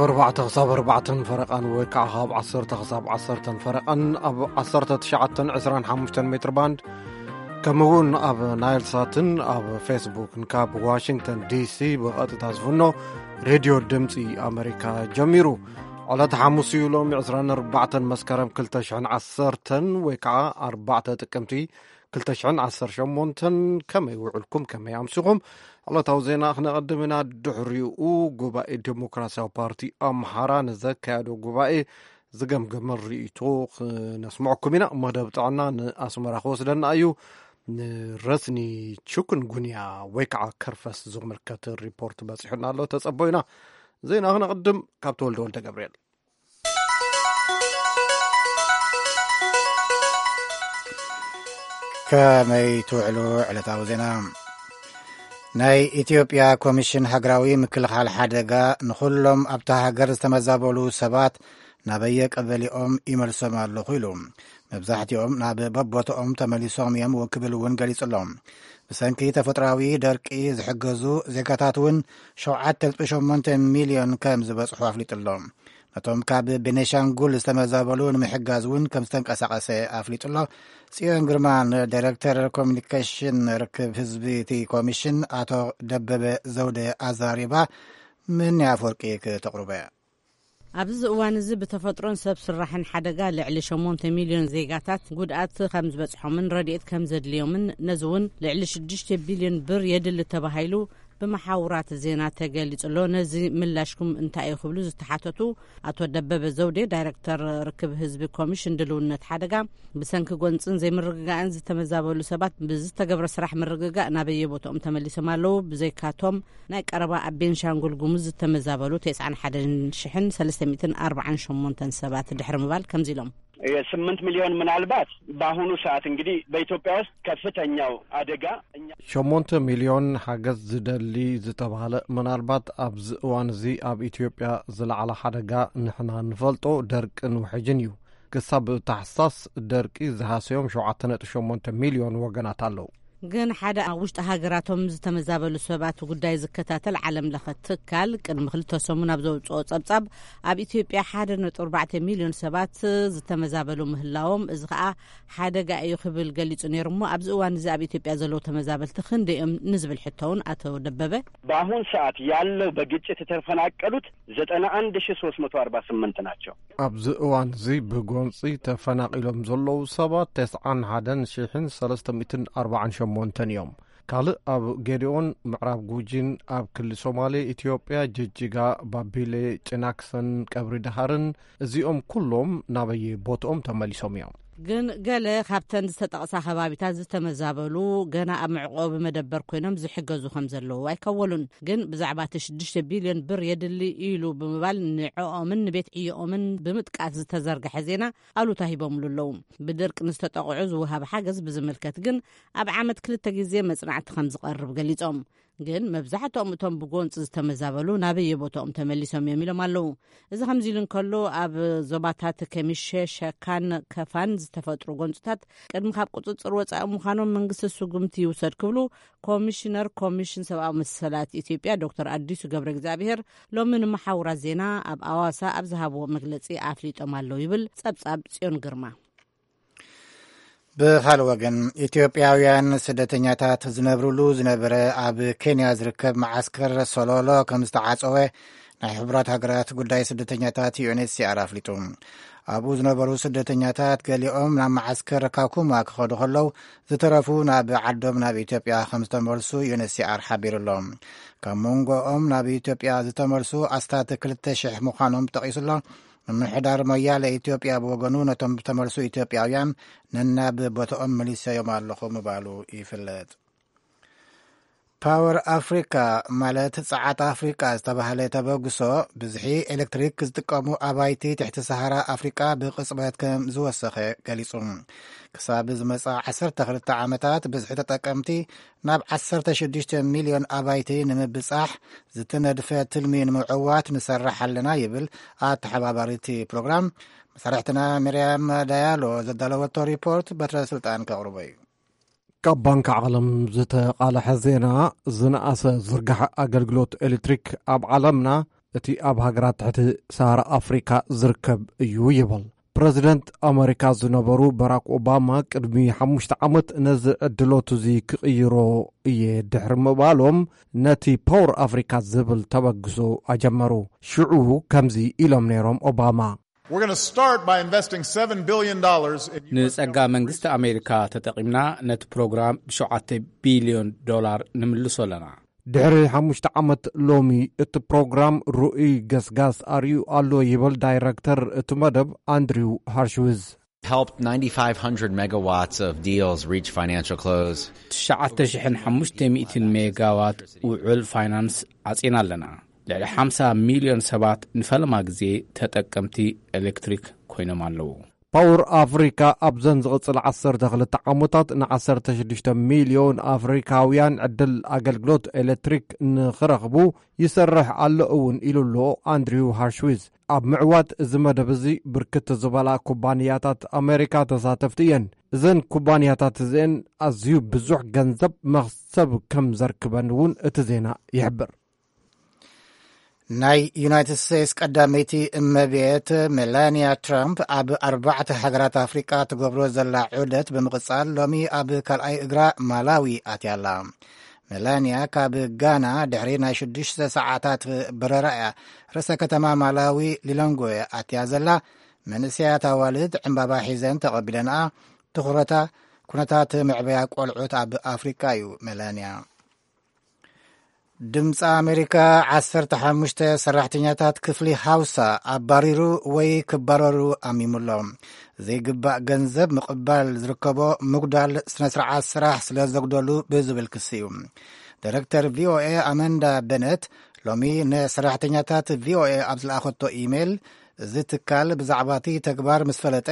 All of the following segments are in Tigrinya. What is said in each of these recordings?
ኣርባዕተ ክሳብ ኣርባዕተን ፈረቓን ወይ ከዓ ካብ ዓሰርተ ክሳብ ዓሰርተን ፈረቓን ኣብ ዓሰርተ ትሽዓተን ዕስራን ሓሙሽተን ሜትር ባንድ፣ ከምኡ እውን ኣብ ናይል ሳትን ኣብ ፌስቡክን ካብ ዋሽንግተን ዲሲ ብቐጥታ ዝፍኖ ሬድዮ ድምፂ ኣመሪካ ጀሚሩ። ዕለት ሓሙስ እዩ፣ ሎሚ ዕስራን ኣርባዕተን መስከረም ክልተ ሽሕን ዓሰርተን ወይ ከዓ ኣርባዕተ ጥቅምቲ ክልተ ሽሕን ዓሰርተ ሸሞንተን። ከመይ ውዕልኩም? ከመይ ኣምሲኹም? ዕለታዊ ዜና ክነቐድም ኢና። ድሕሪኡ ጉባኤ ዴሞክራሲያዊ ፓርቲ ኣምሓራ ንዘካየዶ ጉባኤ ዝገምገመ ርእይቶ ክነስምዐኩም ኢና። መደብ ጥዕና ንኣስመራ ክወስደና እዩ። ንረስኒ ቹኩንጉንያ ወይ ከዓ ከርፈስ ዝምልከት ሪፖርት በፂሑና ኣሎ። ተፀቦ ኢና። ዜና ክነቕድም ካብ ተወልደ ወልደ ገብርኤል። ከመይ ትውዕሉ? ዕለታዊ ዜና። ናይ ኢትዮጵያ ኮሚሽን ሃገራዊ ምክልኻል ሓደጋ ንኹሎም ኣብታ ሃገር ዝተመዛበሉ ሰባት ናበየ ቀበሊኦም ይመልሶም ኣለኹ ኢሉ። መብዛሕትኦም ናብ በቦትኦም ተመሊሶም እዮም ክብል እውን ገሊጹ ኣሎ። ብሰንኪ ተፈጥሮኣዊ ደርቂ ዝሕገዙ ዜጋታት እውን ሸውዓተ ነጥቢ ሸሞንተ ሚልዮን ከም ዝበጽሑ ኣፍሊጡ ኣሎ። ነቶም ካብ ቤኔሻንጉል ዝተመዛበሉ ንምሕጋዝ እውን ከም ዝተንቀሳቐሰ ኣፍሊጡ ኣሎ። ጽዮን ግርማ ንዳይሬክተር ኮሚኒኬሽን ርክብ ህዝቢ እቲ ኮሚሽን ኣቶ ደበበ ዘውደ ኣዛሪባ፣ ምህኒ ኣፈወርቂ ክተቕርበ። ኣብዚ እዋን እዚ ብተፈጥሮን ሰብ ስራሕን ሓደጋ ልዕሊ ሸሞንተ ሚልዮን ዜጋታት ጉድኣት ከም ዝበጽሖምን ረድኤት ከም ዘድልዮምን፣ ነዚ እውን ልዕሊ ሽዱሽተ ቢልዮን ብር የድሊ ተባሂሉ ብመሓውራት ዜና ተገሊጹ ኣሎ። ነዚ ምላሽኩም እንታይ እዩ ክብሉ ዝተሓተቱ ኣቶ ደበበ ዘውዴ፣ ዳይሬክተር ርክብ ህዝቢ ኮሚሽን ድልውነት ሓደጋ፣ ብሰንኪ ጎንጽን ዘይምርግጋእን ዝተመዛበሉ ሰባት ብዝተገብረ ስራሕ ምርግጋእ ናበየ ቦታኦም ተመሊሶም ኣለዉ። ብዘይካቶም ናይ ቀረባ ኣብ ቤንሻንጉል ጉሙዝ ዝተመዛበሉ ተስዓን ሓደን ሽሕን ሰለስተ ሚእትን ኣርባዓን ሸሞንተን ሰባት ድሕሪ ምባል ከምዚ ኢሎም። የስምንት ሚሊዮን ምናልባት በአሁኑ ሰዓት እንግዲህ በኢትዮጵያ ውስጥ ከፍተኛው አደጋ እኛ ሸሞንተ ሚልዮን ሓገዝ ዝደሊ ዝተባህለ፣ ምናልባት ኣብዚ እዋን እዚ ኣብ ኢትዮጵያ ዝለዓለ ሓደጋ ንሕና ንፈልጦ ደርቅን ውሕጅን እዩ። ክሳብ ታሕሳስ ደርቂ ዝሃሰዮም ሸውዓተ ነጥቢ ሸሞንተ ሚልዮን ወገናት ኣለዉ። ግን ሓደ ኣብ ውሽጢ ሃገራቶም ዝተመዛበሉ ሰባት ጉዳይ ዝከታተል ዓለም ለኸ ትካል ቅድሚ ክልተ ሰሙን ኣብ ዘውፅኦ ጸብጻብ፣ ኣብ ኢትዮጵያ ሓደ ነጥቢ ኣርባዕተ ሚልዮን ሰባት ዝተመዛበሉ ምህላዎም፣ እዚ ኸኣ ሓደጋ እዩ ክብል ገሊጹ ነይሩ። እሞ ኣብዚ እዋን እዚ ኣብ ኢትዮጵያ ዘለዉ ተመዛበልቲ ክንደይ እዮም ንዝብል ሕቶ እውን ኣቶ ደበበ፣ በአሁን ሰዓት ያለው በግጭት የተፈናቀሉት ዘጠና አንድ ሺህ ሦስት መቶ አርባ ስምንት ናቸው። ኣብዚ እዋን እዚ ብጎንጺ ተፈናቒሎም ዘለዉ ሰባት ተስዓን ሓደን ሽሕን ሰለስተ ሚእትን ኣርባዓን ሸሞንተን እዮም። ካልእ ኣብ ጌዲኦን ምዕራብ ጉጂን ኣብ ክሊ ሶማሌ ኢትዮጵያ ጅጅጋ፣ ባቢሌ፣ ጭናክሰን ቀብሪ ደሃርን፣ እዚኦም ኩሎም ናበየ ቦትኦም ተመሊሶም እዮም። ግን ገለ ካብተን ዝተጠቕሳ ከባቢታት ዝተመዛበሉ ገና ኣብ መዕቆቢ መደበር ኮይኖም ዝሕገዙ ከም ዘለዉ ኣይከወሉን። ግን ብዛዕባ እቲ ሽዱሽተ ቢልዮን ብር የድሊ ኢሉ ብምባል ንዕኦምን ንቤት ዕዮኦምን ብምጥቃስ ዝተዘርግሐ ዜና ኣሉታ ሂቦምሉ ኣለዉ። ብድርቂ ንዝተጠቕዑ ዝወሃብ ሓገዝ ብዝምልከት ግን ኣብ ዓመት ክልተ ግዜ መጽናዕቲ ከም ዝቐርብ ገሊጾም። ግን መብዛሕትኦም እቶም ብጎንፂ ዝተመዛበሉ ናበየ ቦታኦም ተመሊሶም እዮም ኢሎም ኣለዉ። እዚ ከምዚ ኢሉ እንከሎ፣ ኣብ ዞባታት ከሚሸ፣ ሸካን ከፋን ዝተፈጥሩ ጎንፅታት ቅድሚ ካብ ቁፅፅር ወፃኢ ምዃኖም መንግስቲ ስጉምቲ ይውሰድ ክብሉ ኮሚሽነር ኮሚሽን ሰብኣዊ መሰላት ኢትዮጵያ ዶክተር ኣዲሱ ገብረ እግዚኣብሔር ሎሚ ንመሓውራት ዜና ኣብ ኣዋሳ ኣብ ዝሃብዎ መግለፂ ኣፍሊጦም ኣለዉ ይብል ጸብጻብ ጽዮን ግርማ። ብኻልእ ወገን፣ ኢትዮጵያውያን ስደተኛታት ዝነብርሉ ዝነበረ ኣብ ኬንያ ዝርከብ መዓስከር ሶሎሎ ከም ዝተዓጸወ ናይ ሕቡራት ሃገራት ጉዳይ ስደተኛታት፣ ዩ ኤን ኤች ሲ ኣር፣ ኣፍሊጡ። ኣብኡ ዝነበሩ ስደተኛታት ገሊኦም ናብ መዓስከር ካኩማ ክኸዱ ከለዉ፣ ዝተረፉ ናብ ዓዶም ናብ ኢትዮጵያ ከም ዝተመልሱ ዩ ኤን ኤች ሲ ኣር ሓቢሩ ኣሎ። ካብ መንጎኦም ናብ ኢትዮጵያ ዝተመልሱ ኣስታት ክልተ ሽሕ ምዃኖም ጠቒሱ ኣሎ። ምምሕዳር ሞያለ ኢትዮጵያ ብወገኑ፣ ነቶም ዝተመልሱ ኢትዮጵያውያን ነናብ ቦታኦም መሊሰዮም ኣለኹ ምባሉ ይፍለጥ። ፓወር ኣፍሪካ፣ ማለት ጸዓት ኣፍሪካ ዝተባህለ ተበግሶ፣ ብዝሒ ኤሌክትሪክ ዝጥቀሙ ኣባይቲ ትሕቲ ሰሃራ ኣፍሪካ ብቕጽበት ከም ዝወሰኸ ገሊጹ። ክሳብ ዝመጻ ዓሰርተ ክልተ ዓመታት፣ ብዝሒ ተጠቀምቲ ናብ ዓሰርተ ሽዱሽተ ሚልዮን ኣባይቲ ንምብጻሕ ዝተነድፈ ትልሚ ንምዕዋት ንሰርሕ ኣለና ይብል ኣተሓባባሪ እቲ ፕሮግራም። መሳርሕትና ሚርያም ዳያሎ ዘዳለወቶ ሪፖርት በትረ ስልጣን ከቕርቦ እዩ። ካብ ባንክ ዓለም ዝተቓልሐ ዜና። ዝነኣሰ ዝርጋሐ ኣገልግሎት ኤሌክትሪክ ኣብ ዓለምና እቲ ኣብ ሃገራት ትሕቲ ሰሃራ ኣፍሪካ ዝርከብ እዩ ይብል። ፕረዚደንት ኣመሪካ ዝነበሩ በራክ ኦባማ ቅድሚ ሓሙሽተ ዓመት ነዚ ዕድሎት እዚ ክቕይሮ እየ ድሕሪ ምባሎም፣ ነቲ ፓወር ኣፍሪካ ዝብል ተበግሶ ኣጀመሩ። ሽዑ ከምዚ ኢሎም ነይሮም ኦባማ። We're going to start by investing seven billion dollars in U S ንጸጋ መንግስቲ ኣሜሪካ ተጠቒምና ነቲ ፕሮግራም ብሸውዓተ ቢልዮን ዶላር ንምልሶ ኣለና። ድሕሪ ሓሙሽተ ዓመት ሎሚ እቲ ፕሮግራም ርኡይ ገስጋስ ኣርእዩ ኣሎ ይብል ዳይረክተር እቲ መደብ ኣንድሪው ሃርሽዊዝ። Helped ninety-five hundred megawatts of deals reach financial close. ትሽዓተ ሽሕን ሓሙሽተ ሚእትን ሜጋዋት ውዕል ፋይናንስ ዓጺና ኣለና። ልዕሊ ሓምሳ ሚልዮን ሰባት ንፈለማ ግዜ ተጠቀምቲ ኤሌክትሪክ ኮይኖም ኣለዉ። ፓወር ኣፍሪካ ኣብዘን ዝቕጽል ዓሰርተ ክልተ ዓመታት ን ዓሰርተ ሽዱሽተ ሚልዮን ኣፍሪካውያን ዕድል ኣገልግሎት ኤሌክትሪክ ንኽረኽቡ ይሰርሕ ኣሎ እውን ኢሉ ኣሎ ኣንድሪው ሃርሽዊዝ። ኣብ ምዕዋት እዚ መደብ እዚ ብርክት ዝበላ ኩባንያታት ኣሜሪካ ተሳተፍቲ እየን። እዘን ኩባንያታት እዚአን ኣዝዩ ብዙሕ ገንዘብ መኽሰብ ከም ዘርክበን እውን እቲ ዜና ይሕብር። ናይ ዩናይትድ ስቴትስ ቀዳመይቲ እመቤት ሜላንያ ትራምፕ ኣብ ኣርባዕተ ሃገራት ኣፍሪቃ ትገብሮ ዘላ ዑደት ብምቕጻል ሎሚ ኣብ ካልኣይ እግራ ማላዊ ኣትያ ኣላ። ሜላንያ ካብ ጋና ድሕሪ ናይ ሽዱሽተ ሰዓታት በረራ እያ ርእሰ ከተማ ማላዊ ሊሎንግወ ኣትያ ዘላ። መንእሰያት ኣዋልድ ዕምባባ ሒዘን ተቐቢለንኣ። ትኹረታ ኩነታት መዕበያ ቆልዑት ኣብ ኣፍሪቃ እዩ። ሜላንያ ድምፂ ኣሜሪካ ዓሰርተ ሓሙሽተ ሰራሕተኛታት ክፍሊ ሃውሳ ኣባሪሩ ወይ ክባረሩ ኣሚሙሎም። ዘይግባእ ገንዘብ ምቕባል ዝርከቦ ምጉዳል ስነ ስርዓት ስራሕ ስለ ዘጉደሉ ብዝብል ክሲ እዩ። ዳይረክተር ቪኦኤ ኣመንዳ በነት ሎሚ ንሰራሕተኛታት ቪኦኤ ኣብ ዝለኣኸቶ ኢሜይል፣ እዚ ትካል ብዛዕባ እቲ ተግባር ምስ ፈለጠ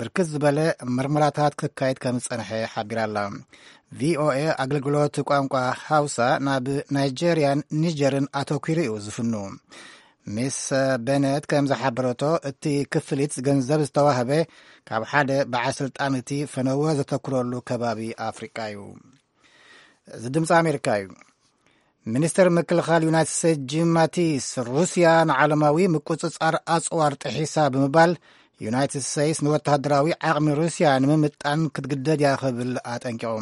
ብርክት ዝበለ ምርመራታት ክካየድ ከም ዝጸንሐ ሓቢራ ኣላ። ቪኦኤ ኣገልግሎት ቋንቋ ሃውሳ ናብ ናይጀርያን ኒጀርን ኣተኲሩ እዩ ዝፍኑ። ሚስ በነት ከም ዝሓበረቶ፣ እቲ ክፍሊት ገንዘብ ዝተዋህበ ካብ ሓደ በዓል ስልጣን እቲ ፈነወ ዘተኩረሉ ከባቢ ኣፍሪቃ እዩ። እዚ ድምፂ ኣሜሪካ እዩ። ሚኒስተር ምክልኻል ዩናይትድ ስቴትስ ጂም ማቲስ፣ ሩስያ ንዓለማዊ ምቁጽጻር ኣጽዋር ጥሒሳ ብምባል፣ ዩናይትድ ስቴትስ ንወተሃደራዊ ዓቕሚ ሩስያ ንምምጣን ክትግደድ እያ ክብል ኣጠንቂቑ።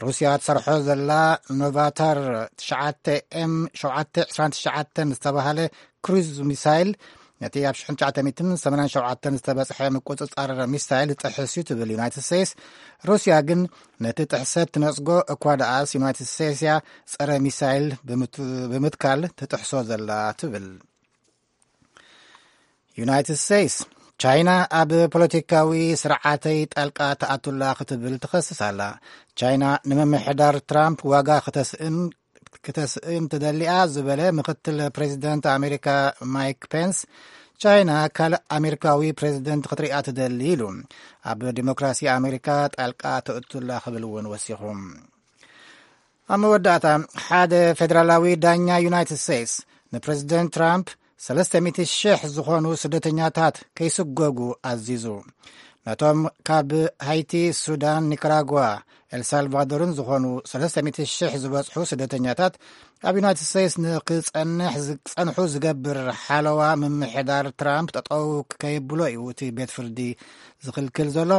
ሩስያ ትሰርሖ ዘላ ኖቫታር ትሽዓተ ኤም ሸውዓተ ዕስራን ትሽዓተን ዝተባህለ ክሩዝ ሚሳይል፣ ነቲ ኣብ ሽሕን ትሽዓተ ሚእትን ሰማንያን ሸውዓተን ዝተበጽሐ ምቁጽጻር ሚሳይል ዝጥሕስ እዩ ትብል ዩናይትድ ስቴትስ፣ ሩስያ ግን ነቲ ጥሕሰት ትነጽጎ እኳ ደኣስ፣ ዩናይትድ ስቴትስ እያ ጸረ ሚሳይል ብምት-፣ ብምትካል ትጥሕሶ ዘላ ትብል። ዩናይትድ ስቴትስ፣ ቻይና ኣብ ፖለቲካዊ ስርዓተይ ጣልቃ ትኣቱላ ክትብል ትኸስስ ኣላ። ቻይና ንምምሕዳር ትራምፕ ዋጋ ክተስእን፣ ክተስእን ትደሊኣ ዝበለ ምክትል ፕሬዚደንት ኣሜሪካ ማይክ ፔንስ፣ ቻይና ካልእ ኣሜሪካዊ ፕሬዚደንት ክትሪኣ ትደሊ ኢሉ። ኣብ ዲሞክራሲ ኣሜሪካ ጣልቃ ተእቱላ ክብል እውን ወሲኹ። ኣብ መወዳእታ፣ ሓደ ፌደራላዊ ዳኛ ዩናይትድ ስቴትስ ንፕሬዚደንት ትራምፕ ሰለስተ ሚእቲ ሽሕ ዝኾኑ ስደተኛታት ከይስጎጉ ኣዚዙ። ነቶም ካብ ሃይቲ፣ ሱዳን፣ ኒካራጓ፣ ኤልሳልቫዶርን ዝኾኑ ሰለስተ ሚእቲ ሽሕ ዝበጽሑ ስደተኛታት ኣብ ዩናይትድ ስቴትስ ንክጸንሕ ዝጸንሑ ዝገብር ሓለዋ ምምሕዳር ትራምፕ ጠጠው ከየብሎ እዩ እቲ ቤት ፍርዲ ዝኽልክል ዘሎ።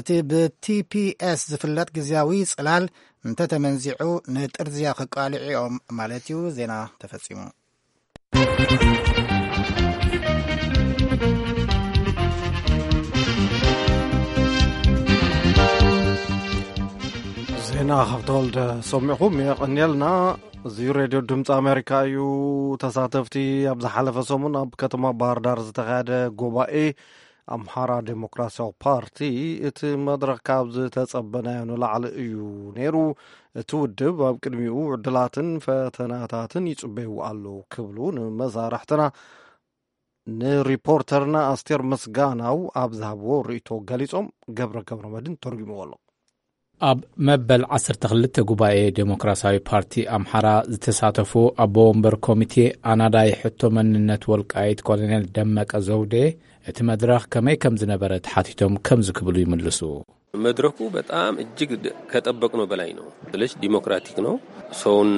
እቲ ብቲፒኤስ ዝፍለጥ ግዝያዊ ጽላል እንተተመንዚዑ ንጥርዝያ ክቃልዑ እዮም ማለት እዩ። ዜና ተፈጺሙ። ዜና ካብ ተወልደ ሰሚዕኹም የቐንየልና። እዚ ሬድዮ ድምፂ ኣሜሪካ እዩ። ተሳተፍቲ ኣብ ዝሓለፈ ሰሙን ኣብ ከተማ ባህር ዳር ዝተኻየደ ጉባኤ ኣምሓራ ዴሞክራሲያዊ ፓርቲ፣ እቲ መድረኽ ካብ ዝተጸበናዮ ንላዕሊ እዩ ነይሩ። እቲ ውድብ ኣብ ቅድሚኡ ዕድላትን ፈተናታትን ይጽበዩ ኣሎ ክብሉ ንመሳርሕትና፣ ንሪፖርተርና ኣስቴር ምስጋናው ኣብ ዝሃብዎ ርእይቶ ገሊጾም። ገብረ ገብረ መድን ተርጉምዎ ኣሎ። ኣብ መበል ዓሰርተ ክልተ ጉባኤ ዴሞክራሲያዊ ፓርቲ ኣምሓራ ዝተሳተፉ ኣቦ ወንበር ኮሚቴ ኣናዳይ ሕቶ መንነት ወልቃይት ኮሎኔል ደመቀ ዘውዴ፣ እቲ መድረኽ ከመይ ከም ዝነበረ ተሓቲቶም ከምዚ ክብሉ ይምልሱ። መድረኩ በጣም እጅግ ድ- ከጠበቅነው በላይ ነው። ስለዚህ ዲሞክራቲክ ነው። ሰውን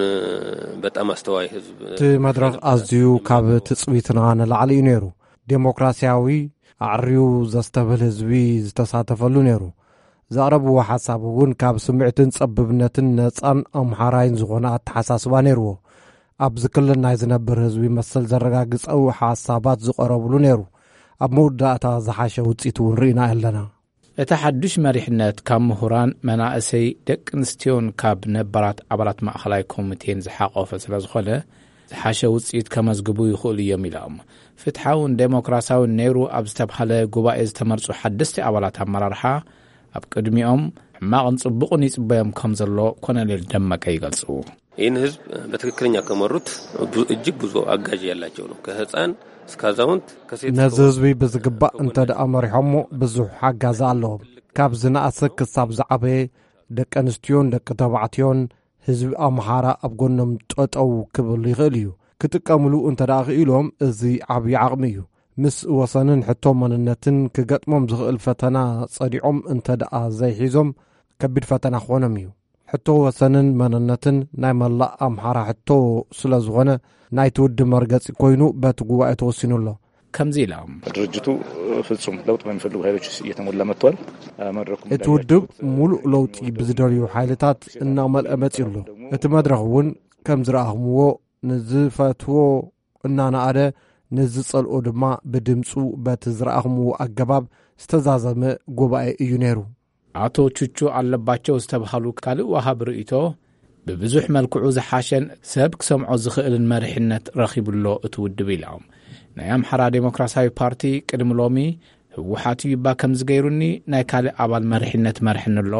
በጣም አስተዋይ ህዝብ። እቲ መድረኽ ኣዝዩ ካብ ትጽቢትና ንላዕሊ እዩ ነይሩ። ዴሞክራሲያዊ፣ ኣዕርዩ ዘስተብህል ህዝቢ ዝተሳተፈሉ ነይሩ። ዘቕረብዎ ሓሳብ እውን ካብ ስምዕትን ጸብብነትን ነጻን ኣምሓራይን ዝኾነ ኣተሓሳስባ ነይርዎ። ኣብዚ ክልል ናይ ዝነብር ህዝቢ መሰል ዘረጋግጸው ሓሳባት ዝቐረብሉ ነይሩ። ኣብ መወዳእታ ዝሓሸ ውጽኢት እውን ርኢና ኣለና። እቲ ሓዱሽ መሪሕነት ካብ ምሁራን፣ መናእሰይ፣ ደቂ ኣንስትዮን ካብ ነባራት ኣባላት ማእኸላይ ኮሚቴን ዝሓቆፈ ስለ ዝኾነ ዝሓሸ ውፅኢት ከመዝግቡ ይኽእሉ እዮም ኢሎም። ፍትሓውን ዴሞክራሲያውን ነይሩ ኣብ ዝተብሃለ ጉባኤ ዝተመርፁ ሓደስቲ ኣባላት ኣመራርሓ ኣብ ቅድሚኦም ሕማቕን ፅቡቕን ይፅበዮም ከም ዘሎ ኮነሌል ደመቀ ይገልፁ። ይህን ህዝብ በትክክለኛ ከመሩት እጅግ ብዙ አጋዥ ያላቸው ነው። ከህፃን እስከ አዛውንት ከሴት ነዚ ህዝቢ ብዝግባእ እንተ ደኣ መሪሖሞ ብዙሕ ሓጋዚ ኣለዎም። ካብ ዝነኣሰ ክሳብ ዝዓበየ፣ ደቂ ኣንስትዮን ደቂ ተባዕትዮን፣ ህዝቢ ኣምሓራ ኣብ ጎኖም ጠጠው ክብል ይኽእል እዩ። ክጥቀምሉ እንተ ደኣ ክኢሎም፣ እዚ ዓብዪ ዓቕሚ እዩ። ምስ ወሰንን ሕቶ መንነትን ክገጥሞም ዝኽእል ፈተና ጸዲቖም እንተ ደኣ ዘይሒዞም፣ ከቢድ ፈተና ክኾኖም እዩ። ሕቶ ወሰንን መንነትን ናይ መላእ ኣምሓራ ሕቶ ስለ ዝኾነ፣ ናይቲ ውድብ መርገጺ ኮይኑ በቲ ጉባኤ ተወሲኑ ኣሎ። ከምዚ ኢሎም። ድርጅቱ ፍጹም ለውጥ በሚፈልጉ ኃይሎች እየተሞላ መጥቷል። መድረኩም እቲ ውድብ ሙሉእ ለውጢ ብዝደልዩ ሓይልታት እናመልአ መጺኡ ኣሎ። እቲ መድረኽ እውን ከም ዝረኣኹምዎ፣ ንዝፈትዎ እናነኣደ፣ ንዝጸልኦ ድማ ብድምጹ በቲ ዝረኣኹምዎ ኣገባብ ዝተዛዘመ ጉባኤ እዩ ነይሩ። ኣቶ ቹቹ ኣለባቸው ዝተብሃሉ ካልእ ወሃብ ርእይቶ፣ ብብዙሕ መልክዑ ዝሓሸን ሰብ ክሰምዖ ዝኽእልን መሪሕነት ረኺቡሎ እቲ ውድብ ኢሎም። ናይ ኣምሓራ ዴሞክራሲያዊ ፓርቲ ቅድሚ ሎሚ ህወሓት እዩ እባ ከምዚ ገይሩኒ፣ ናይ ካልእ ኣባል መሪሕነት መርሕኒ ኣሎ፣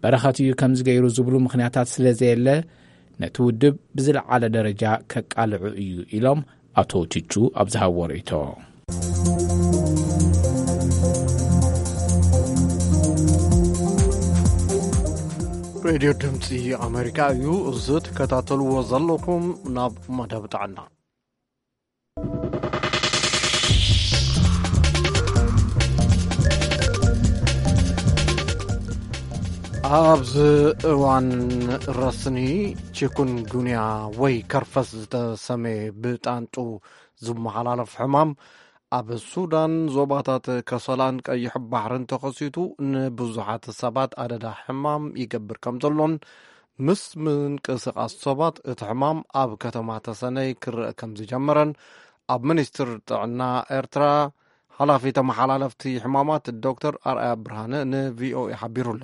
በረኸት እዩ ከምዚ ገይሩ ዝብሉ ምኽንያታት ስለ ዘየለ፣ ነቲ ውድብ ብዝለዓለ ደረጃ ከቃልዑ እዩ ኢሎም ኣቶ ቹቹ ኣብ ዝሃብዎ ርእይቶ። ሬድዮ ድምፂ ኣሜሪካ እዩ። እዚ ትከታተልዎ ዘለኹም ናብ መደብ ጥዕና። ኣብዚ እዋን ረስኒ ቺኩንጉንያ ወይ ከርፈስ ዝተሰመየ ብጣንጡ ዝመሓላለፍ ሕማም ኣብ ሱዳን ዞባታት ከሰላን ቀይሕ ባሕርን ተኸሲቱ ንብዙሓት ሰባት ኣደዳ ሕማም ይገብር ከም ዘሎን ምስ ምንቅስቓስ ሰባት እቲ ሕማም ኣብ ከተማ ተሰነይ ክረአ ከም ዝጀመረን ኣብ ሚኒስትር ጥዕና ኤርትራ ሓላፊ ተመሓላለፍቲ ሕማማት ዶክተር ኣርኣያ ብርሃነ ንቪኦኤ ሓቢሩ ኣሎ።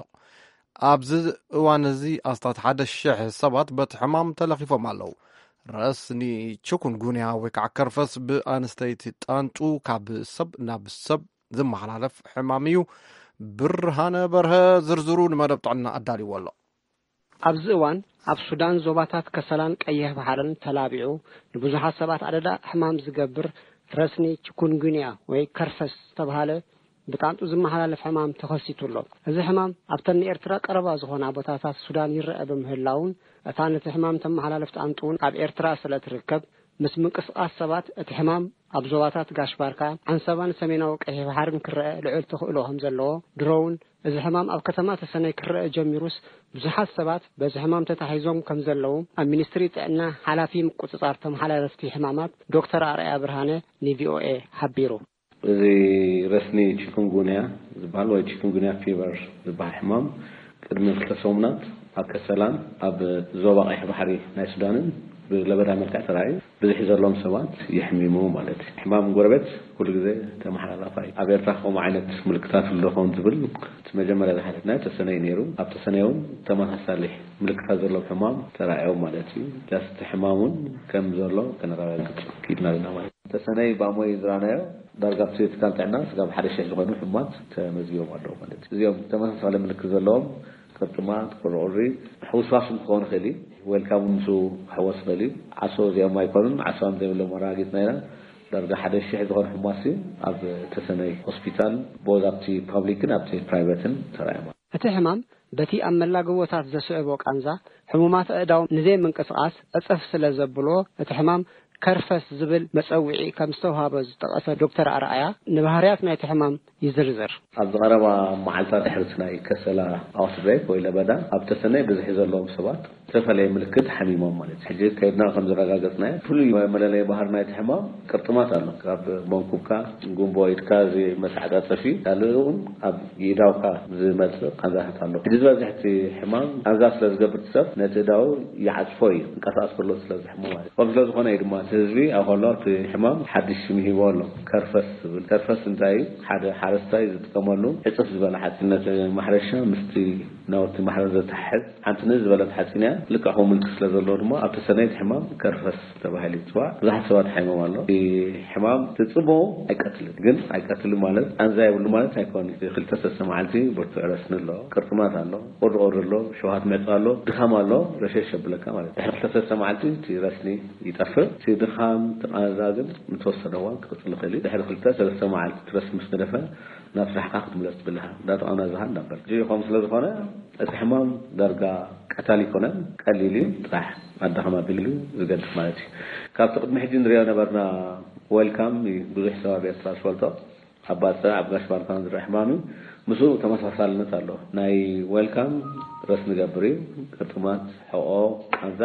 ኣብዚ እዋን እዚ ኣስታት ሓደ ሽሕ ሰባት በቲ ሕማም ተለኺፎም ኣለዉ። ረስኒ ችኩንጉንያ ወይ ከዓ ከርፈስ ብኣንስተይቲ ጣንጡ ካብ ሰብ ናብ ሰብ ዝመሓላለፍ ሕማም እዩ። ብርሃነ በርሀ ዝርዝሩ ንመደብ ጥዕና ኣዳልዎ ኣሎ። ኣብዚ እዋን ኣብ ሱዳን ዞባታት ከሰላን ቀይሕ ባሕርን ተላቢዑ ንብዙሓት ሰባት ኣደዳ ሕማም ዝገብር ረስኒ ችኩንጉንያ ወይ ከርፈስ ዝተብሃለ ብጣንጡ ዝመሓላለፍ ሕማም ተኸሲቱ ኣሎ። እዚ ሕማም ኣብተን ንኤርትራ ቀረባ ዝኾና ቦታታት ሱዳን ይረአ ብምህላውን እታ ነቲ ሕማም ተመሓላልፍ ጣንጡ እውን ኣብ ኤርትራ ስለ ትርከብ ምስ ምንቅስቓስ ሰባት እቲ ሕማም ኣብ ዞባታት ጋሽ ባርካ፣ ዓንሰባን ሰሜናዊ ቀይሕ ባሕርን ክረአ ልዑል ተኽእሎ ከም ዘለዎ ድሮ እውን እዚ ሕማም ኣብ ከተማ ተሰነይ ክረአ ጀሚሩስ ብዙሓት ሰባት በዚ ሕማም ተታሒዞም ከም ዘለዉ ኣብ ሚኒስትሪ ጥዕና ሓላፊ ምቁጽጻር ተመሓላለፍቲ ሕማማት ዶክተር ኣርኣያ ብርሃነ ንቪኦኤ ሓቢሩ። እዚ ረስኒ ቺኩንጉንያ ዝበሃል ወይ ቺኩንጉንያ ፊቨር ዝበሃል ሕማም ቅድሚ ክልተ ሰሙናት ኣብ ከሰላን ኣብ ዞባ ቀይሕ ባሕሪ ናይ ሱዳንን ብለበዳ መልክዕ ተራእዩ ብዙሕ ዘለዎም ሰባት የሕሚሙ ማለት እዩ። ሕማም ጎረቤት ኩሉ ግዜ ተመሓላላፋይ። ኣብ ኤርትራ ከምኡ ዓይነት ምልክታት ኣሎ ኸውን ዝብል እቲ መጀመርያ ዝሓተትናዮ ተሰነይ ነይሩ። ኣብ ተሰነይ እውን ተመሳሳሊ ምልክታት ዘለዎም ሕማም ተራእዮም ማለት እዩ። ዳስ እቲ ሕማም እውን ከም ዘሎ ከነረጋግጽ ክኢልና ኣለና ማለት እዩ። ተሰነይ ብኣሞይ ዝረኣናዮ ዳርጋ ኣብቲ ትካል ጥዕና ስጋብ ሓደ ሽሕ ዝኾኑ ሕሙማት ተመዝጊቦም ኣለዉ ማለት እዩ። እዚኦም ተመሳሳሊ ምልክት ዘለዎም ቅርጥማት፣ ቁርቁሪ፣ ሕውስዋስ እውን ክኸውን ይኽእል እዩ። ዌልካም እውን ምስኡ ክሕወስ ይኽእል እዩ። ዓሶ እዚኦም ኣይኮኑን፣ ዓሶ ከም ዘይብሎም ኣረጋጊጽና ኢና። ዳርጋ ሓደ ሽሕ ዝኾኑ ሕሙማት እዩ ኣብ ተሰነይ ሆስፒታል ቦዝ ኣብቲ ፓብሊክን ኣብቲ ፕራይቨትን ተራእዮም። እቲ ሕማም በቲ ኣብ መላገቦታት ዘስዕቦ ቃንዛ ሕሙማት ኣእዳዎም ንዘይምንቅስቓስ ዕጽፍ ስለ ዘብልዎ እቲ ሕማም ከርፈስ ዝብል መጸውዒ ከም ዝተውሃቦ ዝጠቐሰ ዶክተር ኣርኣያ፣ ንባህርያት ናይቲ ሕማም ይዝርዝር። ኣብ ዝቐረባ መዓልታት ድሕሪ ናይ ከሰላ ኣውትብሬክ ወይ ለበዳ ኣብ ተሰነይ ብዝሒ ዘለዎም ሰባት ዝተፈለየ ምልክት ሓሚሞም ማለት እዩ። ሕጂ ከይድና ከም ዘረጋገጽናዮ ፍሉይ መለለይ ባህሪ ናይቲ ሕማም ቅርጥማት ኣሎ። ካብ መንኩብካ፣ ጉንቦ ኢድካ፣ እዚ መተዓጻጸፊ፣ ካልእ እውን ኣብ ይእዳውካ ዝመጽእ ቃንዛታት ኣሎ። ሕጂ ዝበዝሕ እቲ ሕማም ቃንዛ ስለ ዝገብር እቲ ሰብ ነቲ እዳው ይዓጽፎ እዩ፣ እንቀሳቐስ ከሎ ስለ ዝሕሞ ማለት እዩ። ከም ስለ ዝኾነ እዩ ድማ እቲ ህዝቢ ኣብ ከሎ እቲ ሕማም ሓድሽ ስም ሂቦ ኣሎ፣ ከርፈስ ዝብል። ከርፈስ እንታይ እዩ? ሓደ ሓረስታይ ዝጥቀመሉ ዕጽፍ ዝበለ ሓፂን ነቲ ማሕረሻ ምስቲ ናውቲ ማሕረስ ዘተሓሕዝ ሓንቲ ንእስ ዝበለት ሓፂን እያ። ልክዕ ከምኡ ምልክት ስለ ዘለዎ ድማ ኣብቲ ሰነይ እቲ ሕማም ከርፈስ ተባሂሉ ይፅዋዕ። ብዙሓት ሰባት ሓይሞም ኣሎ። እቲ ሕማም ትፅቦ ኣይቀትልን፣ ግን ኣይቀትልን ማለት ቃንዛ የብሉ ማለት ኣይኮን። እቲ ክልተ ሰለስተ መዓልቲ ብርቱዕ ረስኒ ኣሎ፣ ቅርጥማት ኣሎ፣ ቁሪ ቁሪ ኣሎ፣ ሸውሃት ምዕፃ ኣሎ፣ ድኻም ኣሎ፣ ረሸሽ የብለካ ማለት እዩ። ድሕሪ ክልተ ሰለስተ መዓልቲ እቲ ረስኒ ይጠፍእ። እቲ ድኻም፣ እቲ ቃንዛ ግን ንተወሰነ እዋን ክቕፅል ይኽእል እዩ። ድሕሪ ክልተ ሰለስተ መዓልቲ እቲ ረስኒ ምስ ገደፈ ናብ ስራሕካ ክትምለስ ትብል ኢኻ። እንዳተቓናዛኻ እንዳበል። እዚ ከምኡ ስለ ዝኾነ እቲ ሕማም ዳርጋ ቀታሊ ኣይኮነን፣ ቀሊል እዩ፣ ጥራሕ ኣዳኸም ኣቢሉ ዝገድፍ ማለት እዩ። ካብቲ ቅድሚ ሕጂ ንሪኦ ነበርና ዌልካም እዩ ብዙሕ ሰብ ኣብ ኤርትራ ዝፈልጦ። ኣብ ባጽዕ፣ ኣብ ጋሽ ባርካን ዝረአ ሕማም እዩ። ምስኡ ተመሳሳልነት ኣሎ። ናይ ዌልካም ረስኒ ይገብር እዩ፣ ቅርጥማት፣ ሕቖ፣ ቃንዛ፣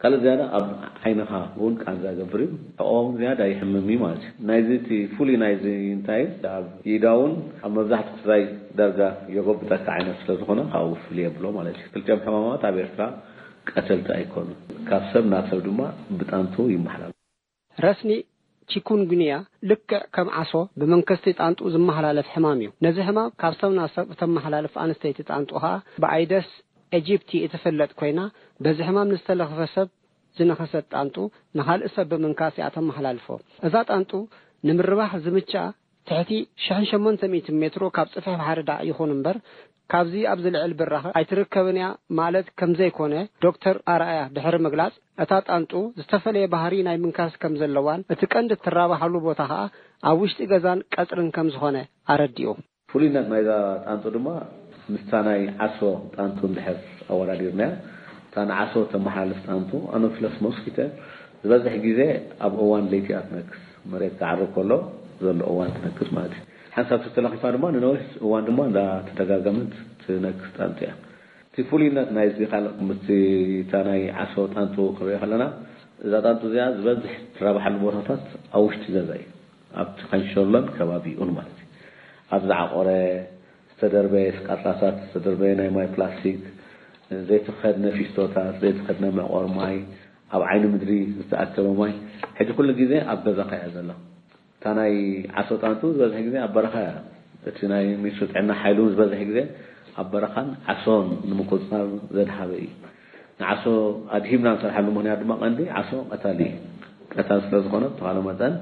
ካልእ ዝያዳ ኣብ ዓይንኻ እውን ቃንዛ ይገብር እዩ። ሕቖ እውን ዝያዳ ይሕምም እዩ ማለት እዩ። ናይዚ እቲ ፍሉይ ናይዚ እንታይ እዩ? ኣብ ኢዳ እውን ኣብ መብዛሕትኡ ክስታይ ዳርጋ የጎብጠካ ዓይነት ስለ ዝኾነ ካብኡ ፍልይ የብሎ ማለት እዩ። ክልቲኦም ሕማማት ኣብ ኤርትራ ቀተልቲ ኣይኮኑን። ካብ ሰብ ናብ ሰብ ድማ ብጣንቱ ይመሓላለፉ። ረስኒ ቺኩንጉንያ ልክዕ ከም ዓሶ ብመንከስቲ ጣንጡ ዝመሓላለፍ ሕማም እዩ። ነዚ ሕማም ካብ ሰብ ናብ ሰብ እተመሓላልፍ ኣንስተይቲ ጣንጡ ኸኣ ብኣይደስ ኤጂፕቲ እትፍለጥ ኮይና፣ በዚ ሕማም ንዝተለኽፈ ሰብ ዝነኸሰት ጣንጡ ንኻልእ ሰብ ብምንካስ እያ ተመሓላልፎ። እዛ ጣንጡ ንምርባሕ ዝምችኣ ትሕቲ ሽሕን ሸሞንተ ሚእትን ሜትሮ ካብ ጽፍሒ ባሕሪ ዳዕ ይኹን እምበር፣ ካብዚ ኣብ ዝልዕል ብራኸ ኣይትርከብን እያ ማለት ከም ዘይኮነ ዶክተር ኣርኣያ ድሕሪ ምግላጽ፣ እታ ጣንጡ ዝተፈለየ ባህሪ ናይ ምንካስ ከም ዘለዋን እቲ ቀንዲ እትራባሓሉ ቦታ ኸኣ ኣብ ውሽጢ ገዛን ቀጽርን ከም ዝኾነ ኣረዲኡ። ፍሉይነት ናይዛ ጣንጡ ድማ ምስታ ናይ ዓሶ ጣንጡ እንድሕር ኣወዳዲርናያ፣ እታ ንዓሶ ተመሓላልፍ ጣንጡ ኣኖፊለስ ሞስኪተ ዝበዝሕ ግዜ ኣብ እዋን ለይቲ እያ ትነክስ። መሬት ክዓርብ ከሎ ዘሎ እዋን ትነክስ ማለት እዩ። ሓንሳብ ተተለኺፋ ድማ ንነዊሕ እዋን ድማ እንዳተደጋገመት ትነክስ ጣንጡ እያ። እቲ ፍሉይነት ናይዚ ካልእ ምስቲ እታ ናይ ዓሶ ጣንጡ ክንሪኦ ከለና፣ እዛ ጣንጡ እዚኣ ዝበዝሕ ትራብሓሉ ቦታታት ኣብ ውሽጢ ገዛ እዩ። ኣብቲ ካንሸሎን ከባቢኡን ማለት እዩ። ኣብ ዝዓቆረ፣ ዝተደርበየ ስቃጣሳት፣ ዝተደርበየ ናይ ማይ ፕላስቲክ፣ ዘይተኸድነ ፊስቶታት፣ ዘይተኸድነ መዕቆሪ ማይ፣ ኣብ ዓይኒ ምድሪ ዝተኣከበ ማይ፣ ሕጂ ኩሉ ግዜ ኣብ ገዛኻ እያ ዘላ። እታ ናይ ዓሶ ጣንጡ ዝበዝሕ ግዜ ኣብ በረኻ እያ። እቲ ናይ ሚኒስትሪ ጥዕና ሓይሉ እውን ዝበዝሕ ግዜ ኣብ በረኻን ዓሶን ንምቁፅፃር ዘድሃበ እዩ። ንዓሶ ኣድሂምና ንሰርሓሉ ምኽንያት ድማ ቀንዲ ዓሶ ቀታሊ እዩ። ቀታል ስለ ዝኾነ ብተኻለ መጠን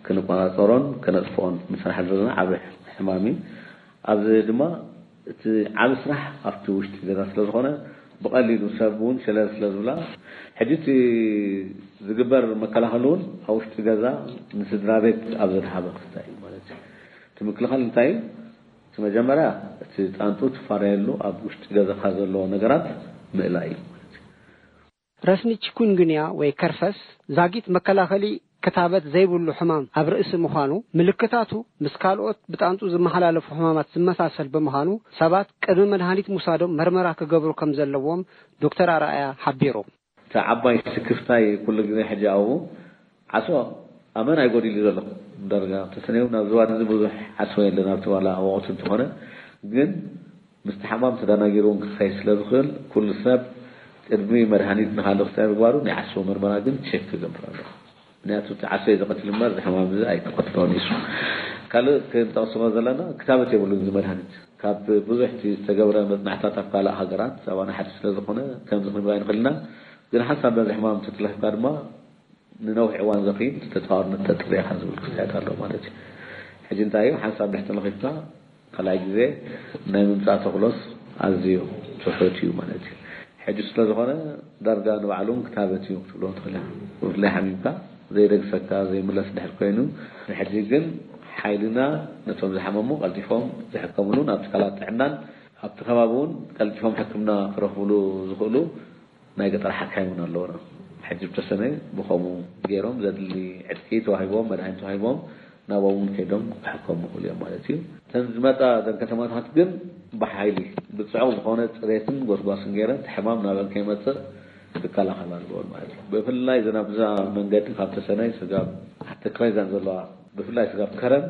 ክንቆፃፀሮን ከነጥፍኦን ንሰርሓሉ ዘለና ዓቢ ሕማም እዩ። ኣብዚ ድማ እቲ ዓቢ ስራሕ ኣብቲ ውሽጢ ገዛ ስለ ዝኾነ ብቐሊሉ ሰብ እውን ሸለል ስለ ዝብላ፣ ሕጂ እቲ ዝግበር መከላኸሊ እውን ኣብ ውሽጢ ገዛ ንስድራ ቤት ኣብ ዘድሃበ ክስታይ እዩ ማለት እዩ። እቲ ምክልኻል እንታይ እዩ? እቲ መጀመርያ እቲ ጣንጡ ትፋረየሉ ኣብ ውሽጢ ገዛኻ ዘለዎ ነገራት ምእላይ እዩ ማለት እዩ። ረስኒ ቺኩንጉንያ ወይ ከርፈስ ዛጊት መከላኸሊ ክታበት ዘይብሉ ሕማም ኣብ ርእሲ ምዃኑ፣ ምልክታቱ ምስ ካልኦት ብጣንጡ ዝመሓላለፉ ሕማማት ዝመሳሰል ብምዃኑ፣ ሰባት ቅድሚ መድሃኒት ምውሳዶም መርመራ ክገብሩ ከም ዘለዎም ዶክተር ኣርኣያ ሓቢሩ። እቲ ዓባይ ስክፍታይ ኩሉ ግዜ ሕጂ ኣብኡ ዓሶ ኣመና እዩ ጎዲሉ ዘሎ። ዳርጋ ተሰነዩ ናብ ዝባን እዚ ብዙሕ ዓሶ የለን፣ ኣብቲ ዋላ ወቕቲ እንተኾነ፣ ግን ምስቲ ሓማም ተደናጊሩ እውን ክኸይድ ስለ ዝኽእል፣ ኩሉ ሰብ ቅድሚ መድሃኒት ንኻልእ ክስታይ ምግባሩ ናይ ዓሶ መርመራ ግን ቸክ ክገብር ኣለዎ። ምክንያቱ እቲ ዓሶ እዩ ዝቐትል እምበር እዚ ሕማም እዚ ኣይተቐትሎን እዩ። ካልእ ክንጠቕስዎ ዘለና ክታበት የብሉን እዚ መድሃኒት። ካብ ብዙሕ እቲ ዝተገብረ መጽናዕታት ኣብ ካልእ ሃገራት ኣባና ሓድሽ ስለ ዝኾነ ከምዚ ክንብል ኣይንኽእል ኢና። ግን ሓንሳብ በዚ ሕማም ተተለኺፍካ ድማ ንነዊሕ እዋን ዘኺድ ተጻዋርነት ተጥርያኻ ዝብል ክስታያት ኣሎ ማለት እዩ። ሕጂ እንታይ እዩ ሓንሳብ ድሕሪ ተለኺፍካ ካልኣይ ግዜ ናይ ምምጻእ ተኽሎስ ኣዝዩ ትሑት እዩ ማለት እዩ። ሕጂ ስለ ዝኾነ ዳርጋ ንባዕሉ እውን ክታበት እዩ ክትብሎ ትኽእል ኢኻ። ብፍላይ ሓሚምካ ዘይደግፈካ ዘይምለስ ድሕር ኮይኑ፣ ንሕጂ ግን ሓይልና ነቶም ዝሓመሙ ቀልጢፎም ዝሕከምሉ ናብ ትካላት ጥዕናን ኣብቲ ከባቢ እውን ቀልጢፎም ሕክምና ክረኽብሉ ዝኽእሉ ናይ ገጠር ሓካይም እውን ኣለውና። ሕጂ ብተሰነይ ብኸምኡ ገይሮም ዘድሊ ዕጥቂ ተዋሂቦም፣ መድሃኒት ተዋሂቦም፣ ናብኦም እውን ከይዶም ክሕከሙ ይኽእሉ እዮም ማለት እዩ። እተን ዝመጻ እተን ከተማታት ግን ብሓይሊ ብጽዑቕ ዝኾነ ጽሬትን ጎስጓስን ገይረን እቲ ሕማም ናበን ከይመጽእ ክከላኸላ ኣለወን ማለት እዩ። ብፍላይ ዘን ኣብዛ መንገዲ ካብ ተሰነይ ስጋብ ትግራይ ዘን ዘለዋ ብፍላይ ስጋብ ከረን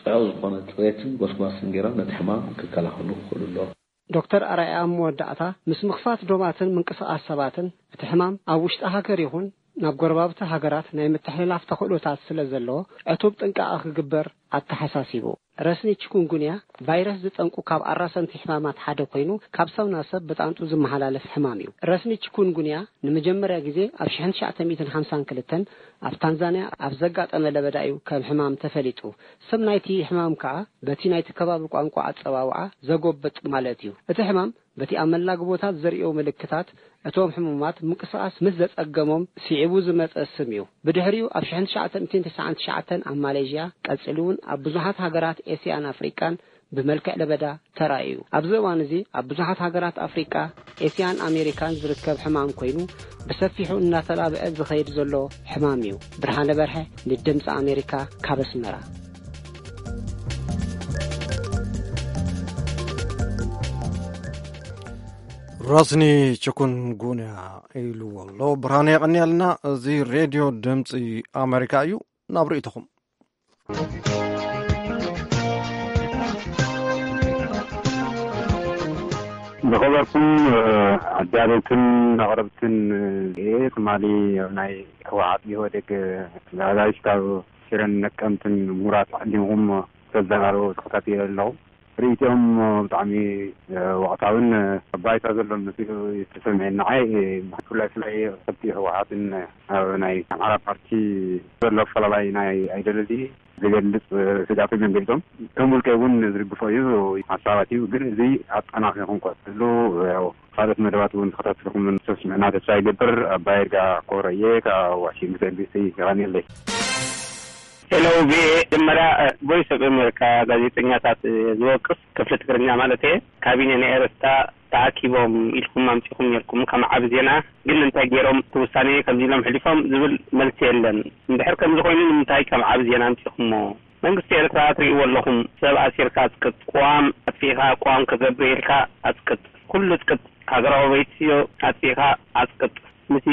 ጽዑቕ ዝኾነ ጽሬትን ጎስጓስን ገይሮም ነቲ ሕማም ክከላኸሉ ክኽእሉ ኣለዎም። ዶክተር ኣርኣያ ኣብ መወዳእታ፣ ምስ ምኽፋት ዶባትን ምንቅስቓስ ሰባትን፣ እቲ ሕማም ኣብ ውሽጢ ሃገር ይኹን ናብ ጎረባብቲ ሃገራት ናይ ምትሕልላፍ ተኽእሎታት ስለ ዘለዎ ዕቱብ ጥንቃቐ ክግበር ኣተሓሳሲቡ። ረስኒ ቺኩንጉንያ ቫይረስ ዝጠንቁ ካብ ኣራሰንቲ ሕማማት ሓደ ኮይኑ ካብ ሰብ ናብ ሰብ ብጣንጡ ዝመሓላለፍ ሕማም እዩ። ረስኒ ቺኩንጉንያ ንመጀመርያ ግዜ ኣብ ሽሕን ትሽዓተ ሚእትን ሓምሳን ክልተን ኣብ ታንዛንያ ኣብ ዘጋጠመ ለበዳ እዩ ከም ሕማም ተፈሊጡ። ስም ናይቲ ሕማም ከኣ በቲ ናይቲ ከባቢ ቋንቋ ኣጸዋውዓ ዘጎብጥ ማለት እዩ። እቲ ሕማም በቲ ኣብ መላግቦታት ዘርእዮ ምልክታት እቶም ሕሙማት ምንቅስቓስ ምስ ዘጸገሞም ስዒቡ ዝመጸ ስም እዩ። ብድሕሪኡ ኣብ ሽሕን ትሽዓተ ሚእትን ተስዓን ትሽዓተን ኣብ ማሌዥያ፣ ቀጺሉ እውን ኣብ ብዙሓት ሃገራት ኤስያን ኣፍሪቃን ብመልክዕ ለበዳ ተራእዩ። ኣብዚ እዋን እዚ ኣብ ብዙሓት ሃገራት ኣፍሪቃ፣ ኤስያን ኣሜሪካን ዝርከብ ሕማም ኮይኑ ብሰፊሑ እናተላብዐ ዝኸይድ ዘሎ ሕማም እዩ። ብርሃነ በርሀ ንድምፂ ኣሜሪካ ካብ ኣስመራ። ራስኒ ችኩንጉንያ ኢልዎ ኣሎ ብርሃነ። የቐንየልና። እዚ ሬድዮ ድምፂ ኣሜሪካ እዩ። ናብ ርእይቶኹም። ዝኸበርኩም ኣዳለውትን ኣቕረብትን፣ ትማሊ ኣብ ናይ ህወሓት ኢህወዴግ ኣጋይሽ ካብ ሽረን ነቀምትን ምሁራት ዓዲምኹም ተዘራረቡ ተኸታቲለ ኣለኹ። ርእይትኦም ብጣዕሚ ወቕታዊን ኣብ ባይታ ዘሎ መሲሉ ዝተሰምዐኒ። ንዓይ ብፍላይ ብፍላይ ከብቲ ህወሓትን ኣብ ናይ ኣምሓራ ፓርቲ ዘሎ ኣፈላላይ ናይ ኣይደለዚ ዝገልፅ ስጋቶም እዮም ገሊፆም። ከም ውልቀይ እውን ዝድግፎ እዩ፣ ሓሳባት እዩ። ግን እዚ ኣጠናኺርኩም ቀፅሉ። ያው ካልኦት መደባት እውን ተኸታቲልኩም ተስምዕና ተስፋ ይገብር። ኣባይ ይርጋ ኮረየ ካብ ዋሽንግተን ዲሲ። የቐንየለይ። ሄሎ ቪኦኤ፣ መጀመርያ ቮይስ ኦፍ ኣሜሪካ ጋዜጠኛታት ዝወቅስ ክፍሊ ትግርኛ ማለት እየ። ካቢነ ናይ ኤርትራ ተኣኪቦም ኢልኩም ኣምጺኹም ነርኩም ከም ዓቢ ዜና፣ ግን እንታይ ገይሮም እቲ ውሳኔ ከምዚ ኢሎም ሕሊፎም ዝብል መልሲ የለን። እንድሕር ከምዚ ኮይኑ ንምንታይ ከም ዓቢ ዜና ኣምጺኹሞ? መንግስቲ ኤርትራ ትርእይዎ ኣለኹም፣ ሰብ ኣሲርካ ኣጽቅጥ፣ ቅዋም ኣጥፊእካ ቅዋም ክገብር ኢልካ ኣጽቅጥ፣ ኩሉ ኣጽቅጥ፣ ሃገራዊ ቤትዮ ኣጥፊእካ ኣጽቅጥ፣ ምስ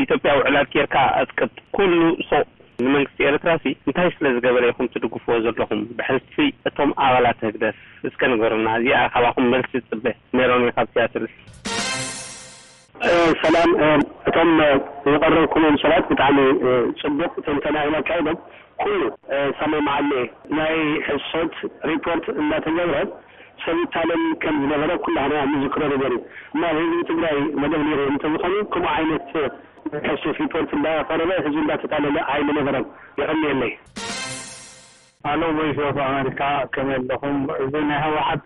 ኢትዮጵያ ውዕላት ጌርካ ኣጽቅጥ፣ ኩሉ ሱቕ። ንመንግስቲ ኤርትራ ሲ እንታይ ስለ ዝገበረ ኢኹም ትድግፍዎ ዘለኹም ብሕልፊ እቶም ኣባላት ህግደፍ? እስከ ንገሩና፣ እዚኣ ካባኹም መልሲ ይጽበ። ሜሮን እየ ካብ ሲያትል። ሰላም፣ እቶም ዝቐረብኩምም ሰባት ብጣዕሚ ጽቡቕ ትንተና እዮም ኣካይዶም። ኩሉ ሰማማዓለ ናይ ሕሶት ሪፖርት እንዳተገብረ ሰብ ይታለል ከም ዝነበረ ኩላህና ንዝክሮ ነገር እዩ። እሞ ኣብ ህዝቢ ትግራይ መደብ ነይሩ እንተዝኾኑ ከምኡ ዓይነት ሕሶት ሪፖርት እንዳቐረበ ህዝቢ እንዳተታለለ ኣይምነበረን። የቐንየለይ። ኣሎ ቮይስ ኦፍ ኣሜሪካ፣ ከመይ ኣለኹም? እዚ ናይ ህወሓት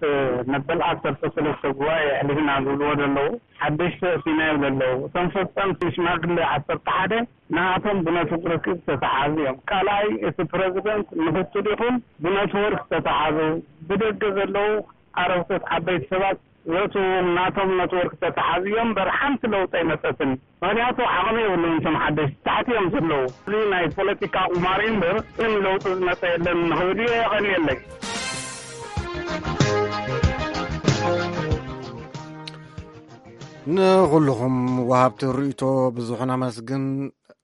መበል ዓሰርተ ሰለስተ ጉባኤ ኣሕሊፍና ዝብልዎ ዘለዉ ሓደሽቲ ኣእቲና ይብሉ ኣለዉ። እቶም ፈፀምቲ ሽማግለ ዓሰርተ ሓደ ንኣቶም ብነትወርክ ዝተተሓዙ እዮም። ካልኣይ እቲ ፕረዚደንት ምክትል ይኹን ብነትወርክ ዝተተሓዙ፣ ብደገ ዘለዉ ኣረግቶት ዓበይቲ ሰባት ዘእትዎም ናቶም ነትወርክ ዝተተሓዙ እዮም እምበር ሓንቲ ለውጢ ኣይመፀትን። ምኽንያቱ ዓቕሚ የብሉን እቶም ሓደሽቲ፣ ታሕቲ እዮም ዘለዉ። እዚ ናይ ፖለቲካ ቁማር እዩ እምበር ግን ለውጢ ዝመፀ የለን ንኽብል እየ። የቐንየለይ። ንኹልኹም ወሃብቲ ርእይቶ ብዙሕ ነመስግን።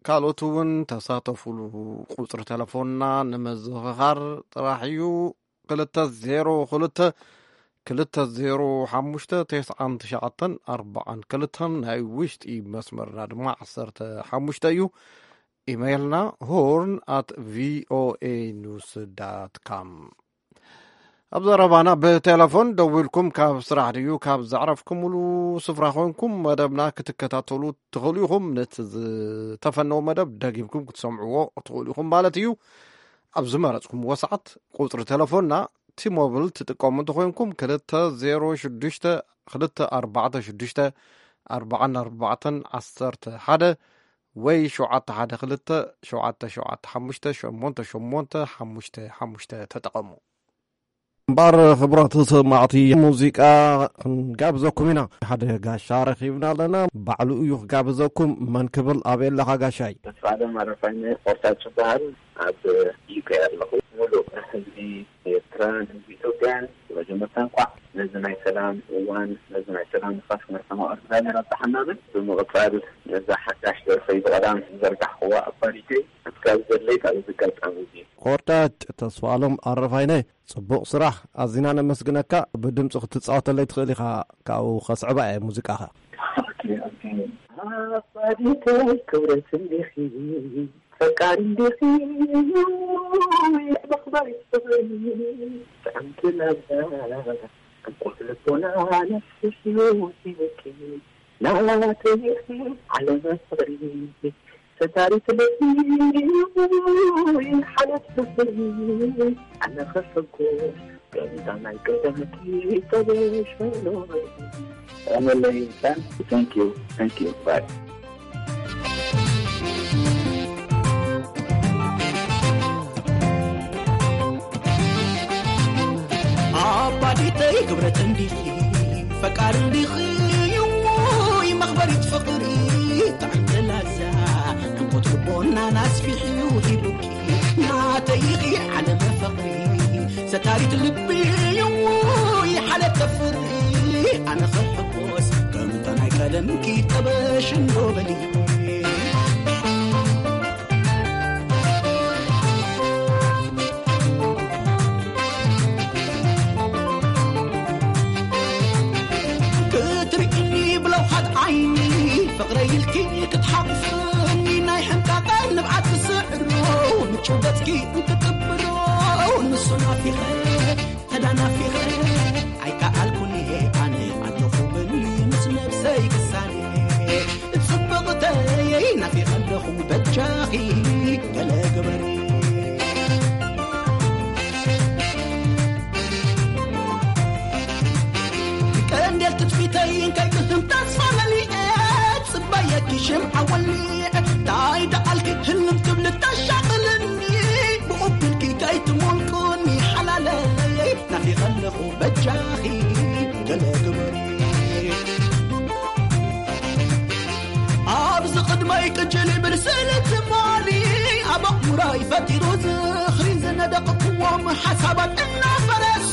ካልኦት እውን ተሳተፉሉ። ቁፅሪ ተለፎንና ንምዝኽኻር ጥራሕ እዩ። ክልተ ዜሮ ክልተ ክልተ ዜሮ ሓሙሽተ ተስዓን ትሽዓተን ኣርባዓን ክልተን፣ ናይ ውሽጢ መስመርና ድማ ዓሰርተ ሓሙሽተ እዩ። ኢሜይልና ሆርን ኣት ቪኦኤ ኒውስ ዳት ካም። ኣብ ዘረባና ብቴሌፎን ደዊልኩም ካብ ስራሕ ድዩ ካብ ዘዕረፍኩምሉ ስፍራ ኮንኩም መደብና ክትከታተሉ ትኽእሉ ኢኹም። ነቲ ዝተፈነወ መደብ ደጊምኩም ክትሰምዕዎ ትኽእሉ ኢኹም ማለት እዩ። ኣብ ዝመረጽኩምዎ ሰዓት ቁጽሪ ቴሌፎንና ቲሞብል ትጥቀሙ እንተኾይንኩም ክልተ ዜሮ ሽዱሽተ ክልተ ኣርባዕተ ሽዱሽተ ኣርባዓን ኣርባዕተን ዓሰርተ ሓደ ወይ ሸውዓተ ሓደ ክልተ ሸውዓተ ሸውዓተ ሓሙሽተ ሸሞንተ ሸሞንተ ሓሙሽተ ሓሙሽተ ተጠቐሙ። እምበኣር ክቡራት ሰማዕቲ፣ ሙዚቃ ክንጋብዘኩም ኢና። ሓደ ጋሻ ረኺብና ኣለና። ባዕሉ እዩ ክጋብዘኩም። መን ክብል? ኣበይ ኣለኻ ጋሻይ? ተስፋ ኣለም ኣረፋይነ ቆርታጭ ይበሃል። ኣብ ዩኬ ኣለኹ። ሙሉእ ህዝቢ ኤርትራን ህዝቢ ኢትዮጵያን መጀመርታ እንኳዕ ነዚ ናይ ሰላም እዋን፣ ነዚ ናይ ሰላም ንፋስ መርሓማ እግዚኣብሔር ኣብጽሓና ብል። ብምቕጻል ነዛ ሓዳሽ ደርፈይ ብቐዳም ዝዘርጋሕክዋ ኣፋሪተይ፣ እስካብ ዘለይ ካብዚ ኣጋጣሚ እዚ። ቆርታጭ ተስፋ ኣለም ኣረፋይነ፣ ጽቡቕ ስራሕ፣ ኣዚና ነመስግነካ። ብድምጺ ክትጻወተለይ ትኽእል ኢኻ፣ ካብኡ ከስዕባ እየ ሙዚቃኻ። ኣፋሪተይ ክብረት እንዲኺ፣ ፈቃር እንዲኺ፣ መኽበሪ ፍቕሪ፣ ጥዕምቲ ላዛ፣ ዕንቁት ልቦና ነፍስዩ ሂብኪ፣ ናተይ ኢኺ ዓለመ ፍቕሪ፣ ሰታሪት ልቢ፣ ሓለት ፍቕሪ፣ ኣነ ክሕጎስ፣ ከምታ ናይ ቀደምኪ ተበሽ በሎ። ኣመለይ፣ thank you, thank you, bye። ኣባዲተይ ክብረት እንዲኺ፣ ፈቃር እንዲኺ፣ ውይ መኽበሪት ፍቕሪ፣ ጥዕምቲ ላዛ፣ ዕንቁት ልቦናና ኣስፊሕዩ ሂቡኪ፣ ናተይ ኢኺ ዓለመ ፍቕሪ፣ ሰታሪት ልቢ፣ ውይ ሓለተ ፍቕሪ፣ ኣነ ክሕጎስ፣ ከምታ ናይ ቀደምኪ ጠበሽ እንዶ በሊ። ክትርእይኒ ብለውሃት ዓይኒ ፍቕረይ ኢልኪ ክትሓቑፍኒ ናይ ሕንቃቐ ንብዓት ትስዕሮ ምቹው ገጽኪ እንትጥብሮ ንሱ ናፊቐ ተዳናፊቐ ኣይከኣልኩን እየ ኣነ ኣለኹ በሊ ምስ ነብሰይ ክሳነ ጽብቕተይ ናፊቐ ኣለኹ በጃኺ ገለ ግበሪ። ቀንዴል ትጽቢተይ እንታይ ክህም ተስፋ መሊኤ ጽበየኪ ሽምዓ ወሊዐ ታይ ደኣልኪ ህልም ትብሊ ተሻቕልኒ ብኡብልኪ ከይትሞልቁኒ ሓላለይ ናፊቐ ኣለኹ በጃኺ ገለ ግበሪ። ኣብዚ ቅድመይ ቅጅል ይብል ስእሊ ትማሊ ኣብ ኣእምሮይ ፈጢሩ ዝኽሪ ዝነደቕክዎም ሓሳባት እናፈረሱ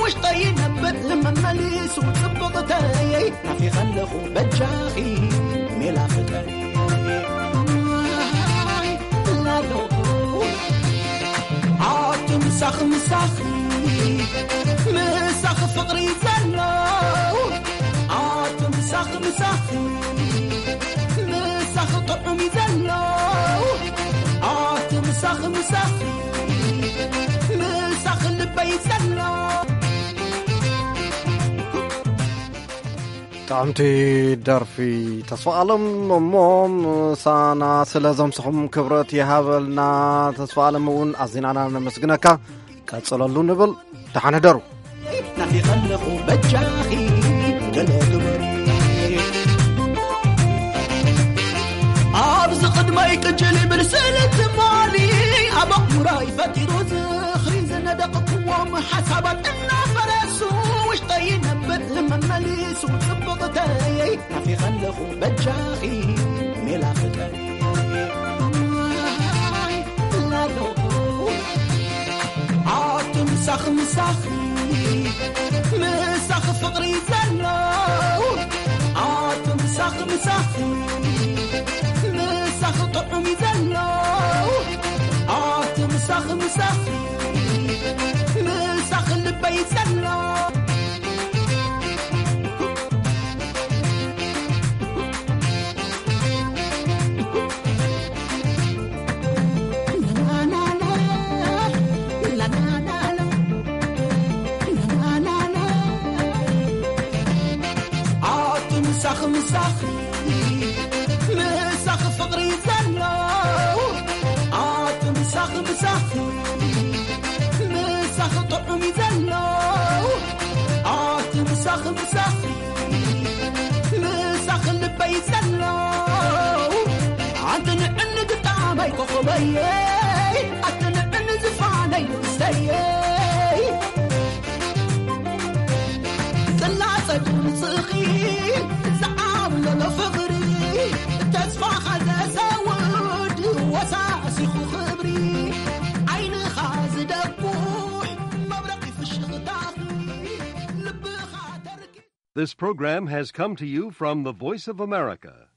ውሽጠይ ይነብዕ መመሊሱ ጽብቕተይ ናፊቐ ኣለኹ በጃኺ ሜላ ፍጠሪ። ኣቲ ምሳኺ ምሳኺ ምሳኺ ፍቕሪ ዘሎ ኣቲ ምሳኺ ምሳኺ ምሳኺ ጥዑም እዩ ዘሎ ኣቲ ምሳኺ ምሳኺ ምሳኺ ልበይ ዘሎ። ጥዕምቲ ደርፊ ተስፋ ኣለም እሞ ምሳና ስለ ዘምስኹም ክብረት ይሃበልና። ተስፋ ኣለም እውን ኣዚናና ነመስግነካ። ቀጽለሉ ንብል። ደሓን ሕደሩ። ናፊቐ ኣለኹ በጃኺ ገለ ግበሪ። ኣብዚ ቅድመይ ቅጅል ይብል ስእሊ ትማሊ ኣብ ኣእምሮይ ፈጢሩ ዝኽሪ ዝነደቕክዎም ሓሳባት እናፈረሱ ውሽጠይ ይነብዕ መመሊሱ ጽብቕተይ ናፊቐ ኣለኹ በጃኺ ሜላ ፍጠሪ። ኣቲ ምሳኺ ምሳኺ ምሳኺ ፍቕሪ ዘሎ ኣቲ ምሳኺ ምሳኺ ምሳኺ ጥዑም እዩ ዘሎ ኣቲ ምሳኺ ምሳኺ ምሳኺ ልበይ ዘሎ። ኣቲ ምሳኺ ምሳኺ ምሳኺ ፍቕሪ ዘሎ ኣቲ ምሳኺ ምሳኺ ምሳኺ ጥዑም እዩ ዘሎ ኣቲ ምሳኺ ምሳኺ ምሳኺ ልበይ ዘሎ ኣቲ ንዕኒ ግጣማይ ኮኸበየይ ኣቲ ንዕኒ ዝፋነይ ንእስተየይ This program has come to you from the Voice of America,